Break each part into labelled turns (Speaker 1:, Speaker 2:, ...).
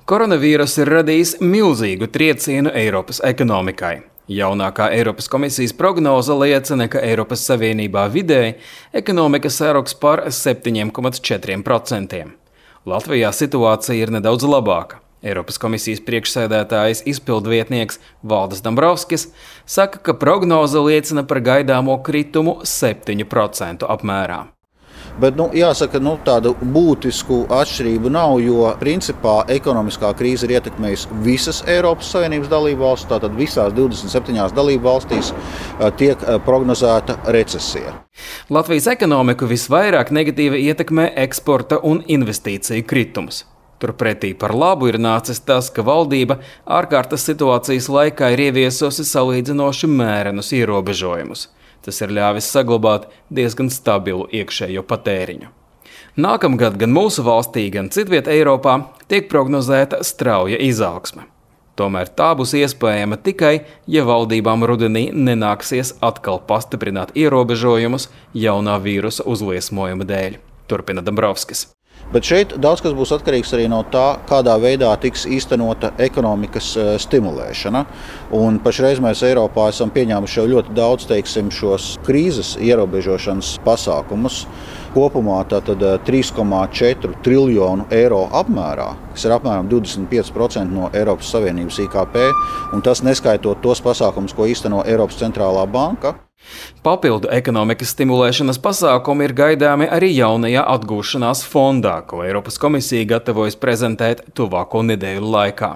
Speaker 1: Koronavīrus ir radījis milzīgu triecienu Eiropas ekonomikai. Jaunākā Eiropas komisijas prognoze liecina, ka Eiropas Savienībā vidēji ekonomika saruks par 7,4%. Latvijā situācija ir nedaudz labāka. Eiropas komisijas priekšsēdētājs izpildvietnieks Valdis Dombrovskis saka, ka prognoze liecina par gaidāmo kritumu 7% apmērā.
Speaker 2: Bet jāsaka, tādu būtisku atšķirību nav, jo principā ekonomiskā krīze ir ietekmējusi visas Eiropas Savienības dalībvalstis, tātad visās 27 dalībvalstīs tiek prognozēta recesija.
Speaker 1: Latvijas ekonomiku visvairāk negatīvi ietekmē eksporta un investīciju kritums. Turpretī par labu ir nācis tas, ka valdība ārkārtas situācijas laikā ir ieviesusi salīdzinoši mērenus ierobežojumus. Tas ir ļāvis saglabāt diezgan stabilu iekšējo patēriņu. Nākamgad gan mūsu valstī, gan citviet Eiropā tiek prognozēta strauja izaugsme. Tomēr tā būs iespējama tikai, ja valdībām rudenī nenāksies atkal pastiprināt ierobežojumus jaunā vīrusa uzliesmojuma dēļ, turpina Dombrovskis.
Speaker 2: Bet šeit daudz kas būs atkarīgs arī no tā, kādā veidā tiks īstenota ekonomikas stimulēšana. Un pašreiz mēs Eiropā esam pieņēmuši jau ļoti daudz, šos krīzes ierobežošanas pasākumus. Kopumā tātad 3,4 triljonu eiro apmērā, kas ir apmēram 25% no Eiropas Savienības IKP, un tas neskaitot tos pasākumus, ko īsteno Eiropas centrālā banka.
Speaker 1: Papildu ekonomikas stimulēšanas pasākumi ir gaidāmi arī jaunajā atgūšanās fondā, ko Eiropas komisija gatavojas prezentēt tuvāko nedēļu laikā.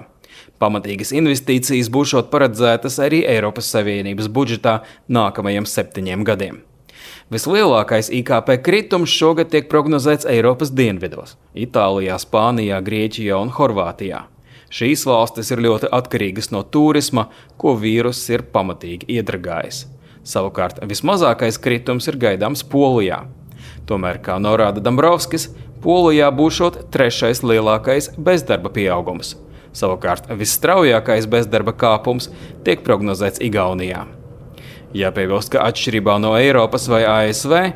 Speaker 1: Pamatīgas investīcijas būšot paredzētas arī Eiropas Savienības budžetā nākamajiem 7 gadiem. Vislielākais IKP kritums šogad tiek prognozēts Eiropas dienvidos – Itālijā, Spānijā, Grieķijā un Horvātijā. Šīs valstis ir ļoti atkarīgas no turisma, ko vīruss ir pamatīgi iedragājis. Savukārt vismazākais kritums ir gaidāms Polijā. Tomēr, kā norāda Dombrovskis, Polijā būšot 3. lielākais bezdarba pieaugums. Savukārt visstraujākais bezdarba kāpums tiek prognozēts Igaunijā. Jāpiebilst, ka atšķirībā no Eiropas vai ASV,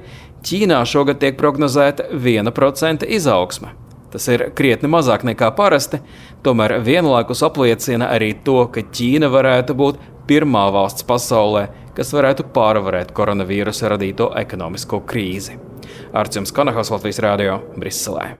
Speaker 1: Ķīnā šogad tiek prognozēta 1% izaugsme. Tas ir krietni mazāk nekā parasti, tomēr vienlaikus apliecina arī to, ka Ķīna varētu būt pirmā valsts pasaulē, kas varētu pārvarēt koronavīrusa radīto ekonomisko krīzi. Arts Konahos, Latvijas Rādio, Briselē.